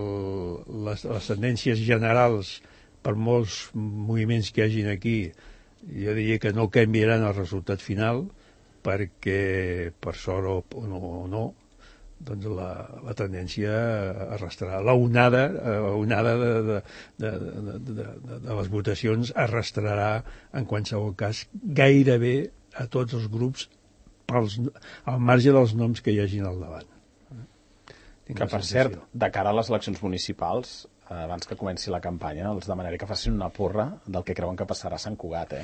les, les tendències generals, per molts moviments que hi hagin aquí, jo diria que no canviaran el resultat final, perquè, per sort o, o no, o no doncs la, la tendència arrastrarà. La onada, la onada de, de, de, de, de, de, de les votacions arrastrarà, en qualsevol cas, gairebé a tots els grups pels, al marge dels noms que hi hagin al davant. Que, per cert, de cara a les eleccions municipals, eh, abans que comenci la campanya, els demanaré que facin una porra del que creuen que passarà a Sant Cugat, eh?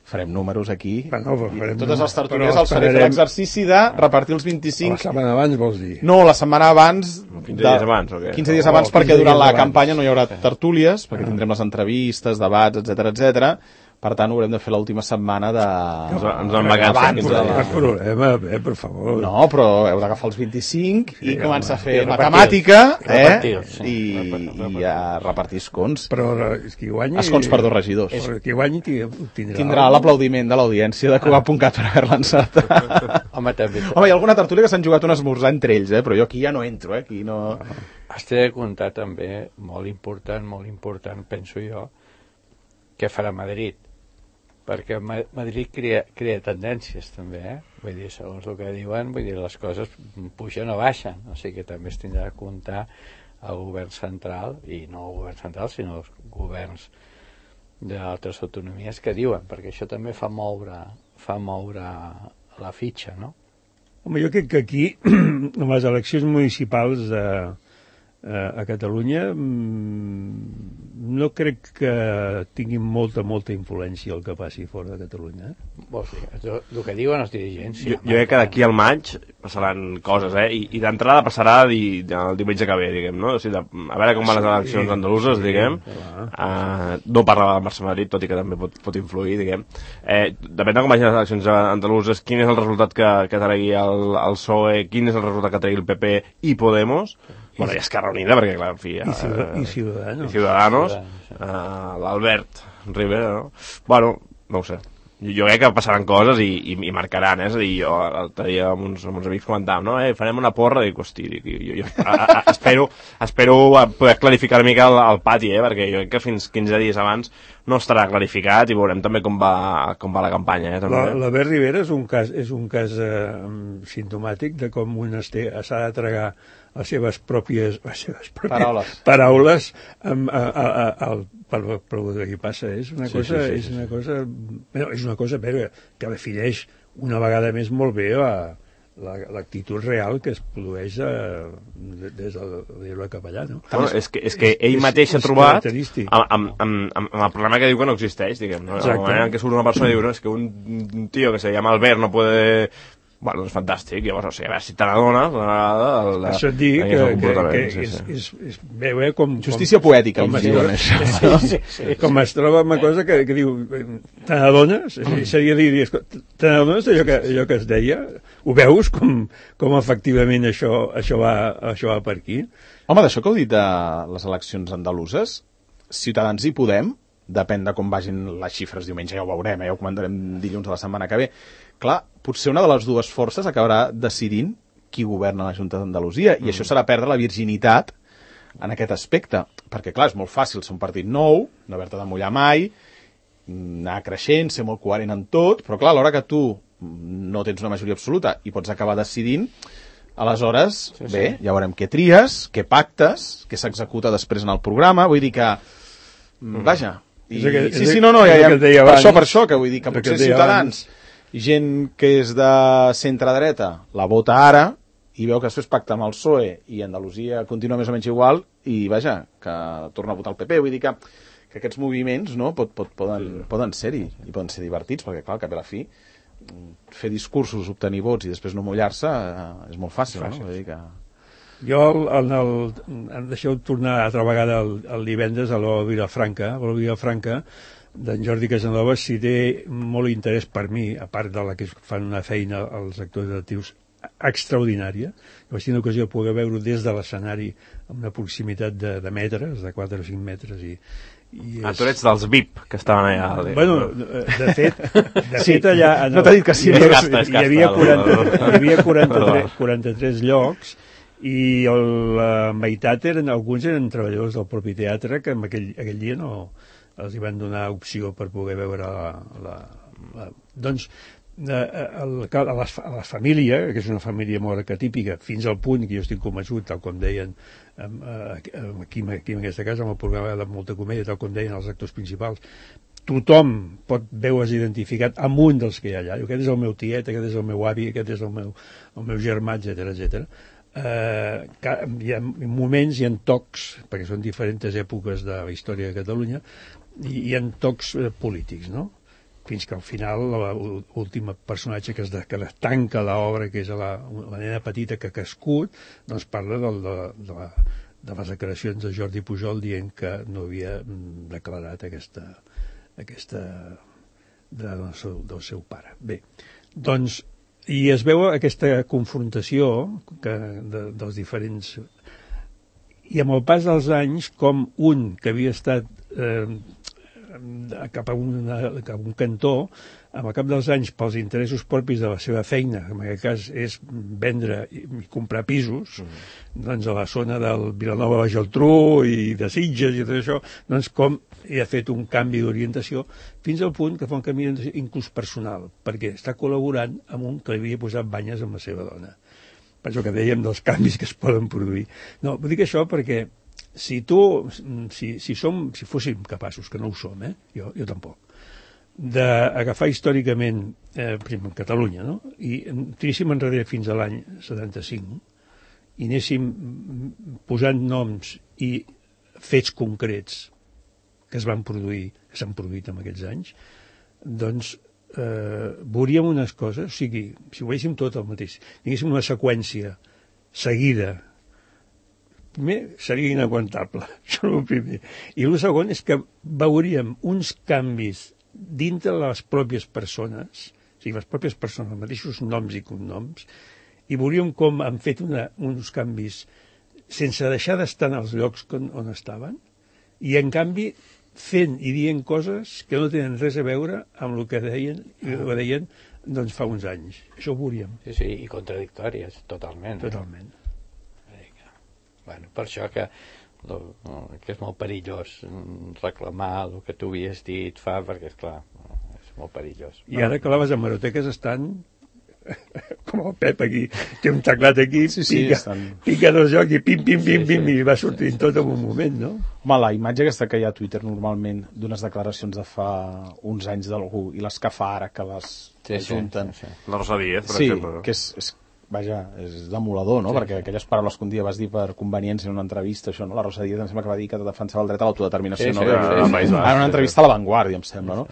Farem números aquí. Bueno, farem totes números, les tertúlies els faré esperarem... fer l'exercici de repartir els vint-i-cinc... La setmana abans, vols dir? No, la setmana abans... quinze dies abans, o què? quinze dies abans, perquè quinze durant dies la abans. campanya no hi haurà tertúlies, perquè tindrem les entrevistes, debats, etcètera, etcètera. Per tant, ho haurem de fer l'última setmana de... Ens, ens en vacances. Abans No de hi la... ha problema, eh, per favor. No, però heu d'agafar els vint-i-cinc i començar a fer I repartir-los. matemàtica, eh? Repartir-los, sí. I, Repartir-los. i a repartir escons. Però és qui guanyi... Escons per dos regidors. Però qui guanyi tindrà... Tindrà l'aplaudiment de l'audiència de Cugat punt cat per haver-la encertat. Home, també... Home, hi ha alguna tertúlia que s'han jugat un esmorzar entre ells, eh? Però jo aquí ja no entro, eh? Aquí no... Has de comptar també, molt important, molt important, penso jo, què farà Madrid. Perquè Madrid crea, crea tendències també, eh? Vull dir, segons el que diuen, vull dir, les coses pugen o baixen, o sigui que també es tindrà a comptar el govern central, i no el govern central, sinó els governs d'altres autonomies que diuen, perquè això també fa moure, fa moure la fitxa, no? Home, jo crec que aquí, en les eleccions municipals de, a Catalunya, no crec que tinguin molta, molta influència el que passi fora de Catalunya. Eh? Vols dir, el, el que diuen els dirigents... Sí, jo, jo crec que d'aquí al maig passaran coses, eh? I, i d'entrada passarà di, el diumenge que ve, diguem, no? O sigui, de, a veure com van les eleccions andaluses, diguem. Uh, no parla del Barça-Madrid, tot i que també pot, pot influir, diguem. Eh, depèn de com vagin les eleccions andaluses, quin és el resultat que, que tregui el, el P S O E, quin és el resultat que tregui el P P i Podemos. Bueno, i Esquerra Unida, perquè, clar, en fi... I, Ciudad, i Ciudadanos. I Ciudadanos, uh, l'Albert Rivera, no? Bueno, no ho sé. Jo, jo crec que passaran coses i, i, i marcaran, eh? És a dir, jo l'altre dia amb uns, amb uns amics comentàvem, no? Eh, farem una porra, dic, hosti, dic, jo, jo a, a, espero, espero poder clarificar una mica el, el pati, eh? Perquè jo crec que fins quinze dies abans no estarà clarificat i veurem també com va, com va la campanya, eh? També. L'Albert Rivera és un cas, és un cas eh, simptomàtic de com un s'ha de tragar les seves pròpies, les seves pròpies paraules, paraules amb, a, a, a, a, per, per el que passa. És una sí, cosa, sí, sí, és sí, una sí. cosa, bueno, és una cosa però, que defineix una vegada més molt bé la, l'actitud real que es produeix a, des de l'Ebre cap allà, no? Bueno, és, que, és que ell és, mateix és ha trobat característic. amb, amb, amb, amb el problema que diu que no existeix, diguem, no? El moment en què surt una persona i diu, no, és que un, un tío que se llama Albert no puede... Bueno, és fantàstic, llavors, o sigui, a veure si te n'adones una vegada... El, el, això et dic que, que, que sí, és, sí. és, és, veu, eh, com... Justícia com, poètica, com em es diuen troba, això. sí, sí, sí. Com es troba amb una cosa que, que diu, te n'adones? Seria dir, te n'adones d'allò que, allò que es deia? Ho veus com, com efectivament això, això, va, això va per aquí? Home, d'això que heu dit de les eleccions andaluses, Ciutadans i Podem, depèn de com vagin les xifres diumenge, ja ho veurem, eh? Ja ho comentarem dilluns de la setmana que ve. Clar, potser una de les dues forces acabarà decidint qui governa la Junta d'Andalusia, i mm. això serà perdre la virginitat en aquest aspecte, perquè clar, és molt fàcil ser un partit nou, no haver-te de mullar mai, anar creixent, ser molt coherent en tot, però clar, a l'hora que tu no tens una majoria absoluta i pots acabar decidint, aleshores, sí, sí. bé, ja veurem què tries, què pactes, què s'executa després en el programa, vull dir que, mm. vaja, i, que, sí, sí, no, no, ja, ja, per abans, això, per això, que vull dir que potser que Ciutadans, abans. gent que és de centre-dreta, la vota ara, i veu que després pacta amb el P S O E i Andalusia continua més o menys igual i, vaja, que torna a votar el P P. Vull dir que, que aquests moviments no, pot, pot, poden, sí. poden ser-hi i poden ser divertits, perquè, clar, al cap i a la fi, fer discursos, obtenir vots i després no mullar-se eh, és molt fàcil, fàcil. no? Vull dir que... Jo, en el, em deixeu tornar altra vegada el, el divendres a la Vilafranca, a la Vilafranca, d'en Jordi Casanova, si té molt interès per mi, a part de la que fan una feina els actors actius extraordinària. Jo vaig tenir l'ocasió de poder veure des de l'escenari amb una proximitat de, de metres, de quatre o cinc metres. I, i és... Ah, tu ets dels V I P que estaven allà. Bueno, de fet, de sí. fet allà... En no t'ha dit que sí. Hi havia, Casta, hi havia, quaranta, hi havia quaranta-tres, quaranta-tres llocs i el, la meitat eren, alguns eren treballadors del propi teatre que en aquell, aquell dia no els hi van donar opció per poder veure la... la, la doncs, A, a, a, les, a la família, que és una família molt arquetípica, fins al punt que jo estic convençut, tal com deien aquí, aquí en aquesta casa, amb el programa de molta comèdia, tal com deien els actors principals, tothom pot veure's identificat amb un dels que hi ha allà. Aquest és el meu tiet, aquest és el meu avi, aquest és el meu, el meu germà, etcètera, etcètera. Uh, hi ha moments, hi ha tocs, perquè són diferents èpoques de la història de Catalunya, i hi ha tocs uh, polítics, no? Fins que al final l'últim personatge que es, de, que es tanca l'obra, que és la, la nena petita que ha crescut, doncs parla del, de, de, la, de les declaracions de Jordi Pujol dient que no havia declarat aquesta, aquesta de, del, seu, del seu pare. Bé, doncs, i es veu aquesta confrontació que, de, dels diferents... I amb el pas dels anys, com un que havia estat... Eh, cap a, una, cap a un cantó, amb el cap dels anys, pels interessos propis de la seva feina, que en aquest cas és vendre i, i comprar pisos, mm. doncs a la zona del Vilanova de la Geltrú i de Sitges i tot això, doncs com hi ha fet un canvi d'orientació fins al punt que fa un canvi inclús personal, perquè està col·laborant amb un que li havia posat banyes amb la seva dona. Per això que dèiem dels canvis que es poden produir. No, vull dir això perquè si tu, si, si som, si fóssim capaços, que no ho som, eh? jo, jo tampoc, d'agafar històricament, eh, per exemple, en Catalunya, no? I tiríssim enrere fins a l'any setanta-cinc i anéssim posant noms i fets concrets que es van produir, que s'han produït en aquests anys, doncs eh, veuríem unes coses, o sigui, si ho veiéssim tot el mateix, tinguéssim una seqüència seguida, primer seria inaguantable, això és el primer. I el segon és que veuríem uns canvis dintre de les pròpies persones, o sigui, les pròpies persones, els mateixos noms i cognoms, i veuríem com han fet una, uns canvis sense deixar d'estar en els llocs on, on estaven, i en canvi fent i dient coses que no tenen res a veure amb el que deien, el que deien doncs, fa uns anys. Això ho veuríem. Sí, sí, i contradictòries, totalment. Totalment. Bueno, per això que, lo, que és molt perillós reclamar el que tu havies dit fa, perquè, esclar, és molt perillós. I ara que les hemeroteques estan com el Pep aquí, té un teclat aquí, sí, sí, pica, estan... pica dos jocs i pim, pim, pim, sí, pim, sí. I va sortint tot en un moment, no? Home, la imatge aquesta que hi ha a Twitter normalment d'unes declaracions de fa uns anys d'algú i les que fa ara que les sí, ajunten. Sí, sí, sí. La Rosa Díez, per sí, exemple. Sí, que és... és vaja, és demolador, no? Sí, perquè sí. Aquelles paraules que un dia vas dir per conveniència en una entrevista, això, no? La Rosa Díez em sembla que va dir que defensava el dret a l'autodeterminació, sí, no? Sí, sí, sí, sí, en una entrevista a La Vanguardia, em sembla, no?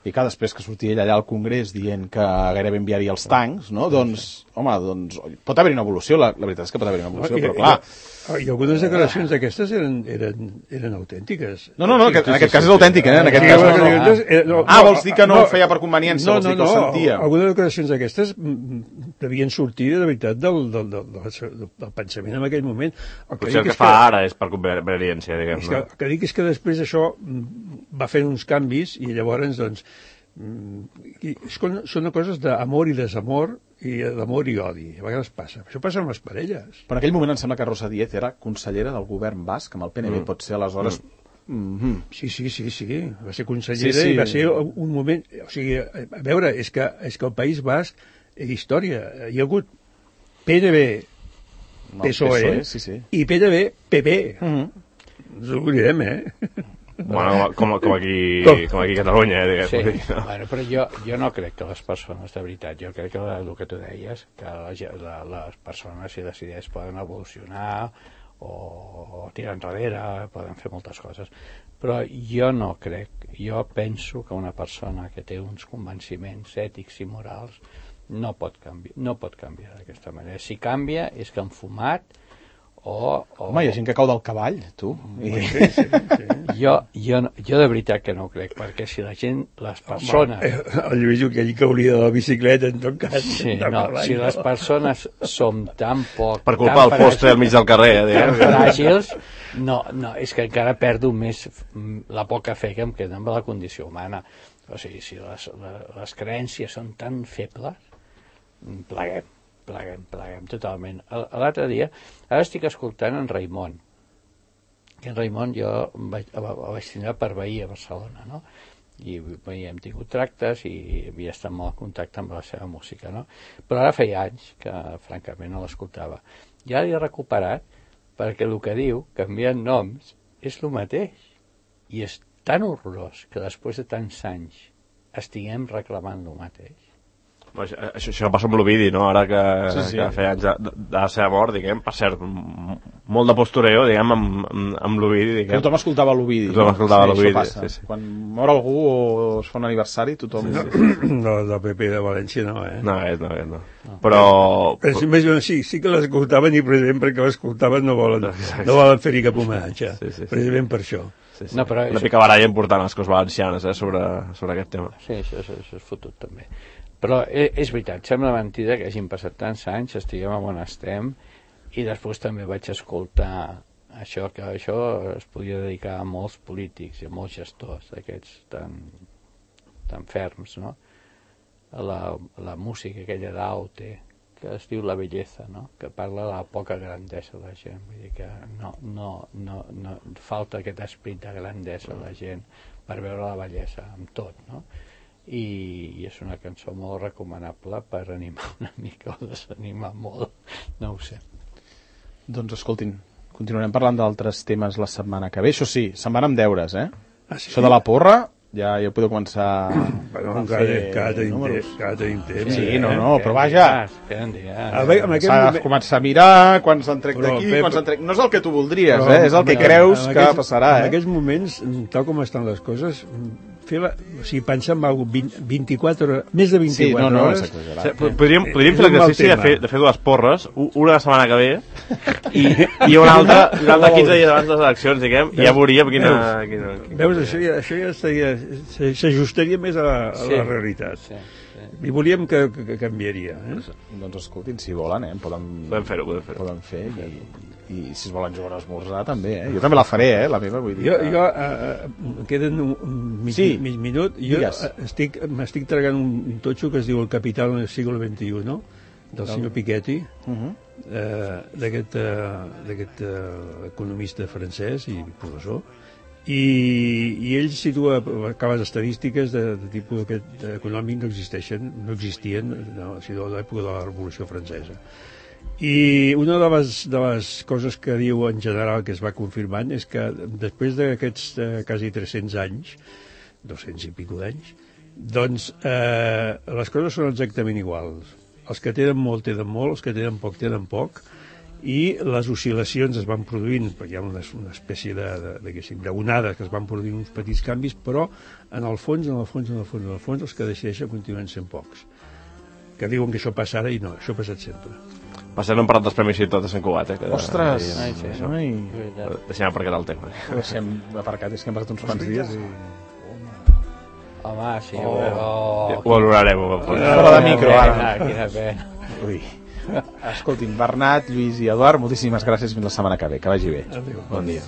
I que després que sortia ell allà al Congrés dient que gairebé enviaria els tancs, no? Doncs, home, doncs, pot haver una evolució, la, la veritat és que pot haver una evolució, però clar... I algunes declaracions d'aquestes eren, eren, eren autèntiques. No, no, no, que, en aquest cas és autèntic, eh? En aquest cas no, no. Ah, vols dir que no ho feia per conveniència, vols dir que ho sentia? Algunes declaracions d'aquestes devien sortir de veritat del, del, del, del, del pensament en aquell moment. Potser el que fa ara és per conveniència, diguem. El que dic és que després això va fent uns canvis i llavors, doncs, són coses d'amor i desamor i d'amor i odi, a vegades passa això passa amb les parelles. Per aquell moment em sembla que Rosa Díez era consellera del govern basc, amb el P N B, mm. pot ser aleshores mm. Mm-hmm. Sí, sí, sí, sí. Va ser consellera sí, sí. i va ser un moment... O sigui, a veure, és que, és que el País Basc és història. Hi ha hagut P N B, P S O E, P S O E sí, sí. i P N B, P P. Mm-hmm. No ens oblidem, eh? Bueno, com, com, aquí, com? com aquí a Catalunya, eh, diguem. Sí, No? bueno, però jo, jo no crec que les persones, de veritat, jo crec que el que tu deies, que la, la, les persones, si decideix, poden evolucionar o, o tirar enrere, poden fer moltes coses. Però jo no crec, jo penso que una persona que té uns convenciments ètics i morals no pot canviar, no pot canviar d'aquesta manera. Si canvia és que han fumat o... o... Home, hi ha gent que cau del cavall, tu. I... Sí, sí, sí. Jo, jo, jo de veritat que no ho crec, perquè si la gent, les persones... Home, el Lluís aquell que hauria de la bicicleta, en tot cas. Sí, no, si les persones som tan poc... Per culpa del poste al mig del carrer, eh, diguem. Tan fràgils, no, no, és que encara perdo més la poca fe que em queda amb la condició humana. O sigui, si les, les, les creences són tan febles, pleguem. Pleguem, pleguem, totalment. L'altre dia, ara estic escoltant en Raimon, que en Raimon jo vaig, vaig tindre per veí a Barcelona, no? I bé, hem tingut tractes i havia estat molt en contacte amb la seva música, no? Però ara feia anys que, francament, no l'escoltava. I ara l'he recuperat perquè el que diu, canviant noms, és el mateix. I és tan horrorós que després de tants anys estiguem reclamant el mateix. Això, això passa amb l'Ovidi, no? Ara que, sí, sí. que feia anys de, de la seva mort, diguem, per cert, molt de postureo, diguem, amb, amb, amb l'Ovidi, diguem. Tothom escoltava l'Ovidi. Tothom escoltava sí, l'Ovidi, sí, sí. Quan mor algú o es fa un aniversari, tothom... No, no del P P de València no, eh? No, eh, no, eh, no. Però... Però més, sí, sí que l'escoltaven i precisament perquè l'escoltaven no volen, no volen fer-hi cap homenatge, sí, sí, sí. Precisament per això. Sí, sí. No, però una és... picabaralla important a les coses valencianes, eh, sobre, sobre aquest tema. Sí, això, això, això és fotut també. Però és, és veritat, sembla mentida que hagin passat tants anys, estiguem on estem, i després també vaig escoltar això, que això es podia dedicar a molts polítics i a molts gestors d'aquests tan, tan ferms, no? La, la música aquella d'Aute, que es diu La Belleza, no? Que parla de la poca grandesa de la gent, vull dir que no, no, no, no falta aquest esperit de grandesa a la gent per veure la bellesa amb tot, no? I, i és una cançó molt recomanable per animar una mica o desanimar molt, no ho sé. Doncs escoltin, continuarem parlant d'altres temes la setmana que ve. Això sí, se'n van amb deures, eh? Ah, sí? Això de la porra, ja, ja podeu començar bueno, a encara, fer encara tenim números. temps, encara tenim temps. Sí, eh? no, no, però vaja. Queden dies. A veure, en aquest S'ha de moment... començar a mirar quan s'han trec d'aquí, Pep, quan s'han trec... No és el que tu voldries, però, eh? És el que en- creus en que aquests- passarà, En eh? aquests moments, tal com estan les coses, fer la, o sigui, pensar en alguna cosa, vint-i-quatre hores, més de Sí, vint-i-quatre no, no, és hores, exagerat. O sigui, podríem, podríem És fer un mal l'exercici de tema. fer, de fer dues porres, u- una la setmana que ve i, i una altra, una altra quinze dies abans de les eleccions, diguem, i ja veuríem quina... quina, quina... veus, això ja, això ja estaria, s'ajustaria més a la, a Sí. la realitat. Sí, sí. I volíem que, que, que canviaria. Eh? Doncs escoltin, si volen, eh? Poden, Podem fer-ho, podem fer-ho. poden fer i, i si es volen jugar a esmorzar també, eh? Jo també la faré, eh? La meva, vull dir. Jo, que- jo eh, eh, queden un, un mig, Sí. mig minut. Jo Digues. eh, estic, m'estic tragant un totxo que es diu El Capital del segle veintiuno, no? Del senyor Piketty, Uh -huh. eh, d'aquest eh, d'aquest eh, economista francès i professor, i, i ell situa caves estadístiques de, de tipus aquest econòmic no existeixen, no existien no, si de l'època de la Revolució Francesa. I una de les, de les coses que diu en general que es va confirmant és que després d'aquests eh, quasi tres-cents anys, dos-cents i pico d'anys, doncs eh, les coses són exactament iguals. Els que tenen molt tenen molt, els que tenen poc tenen poc, i les oscil·lacions es van produint, perquè hi ha una, una espècie de, de, de, d'onades que es van produint uns petits canvis, però en el fons, en el fons, en el fons, en el fons, els que decideixen continuen sent pocs. Que diuen que això passa ara i no, això ha passat sempre. Per cert, no hem parlat dels premis i tot de Sant Cugat, eh? Que, Ostres! Ai, sí, això. Ai, Deixem aparcat el tema. ho deixem aparcat, és que hem passat uns quants dies i... Home, sí, Oh. oh, Ho valorarem. Ho valorarem. Fora de micro, ara. Quina pena. Ui. Escoltin, Bernat, Lluís i Eduard, moltíssimes gràcies, fins la setmana que ve, que vagi bé. Adéu. Bon dia.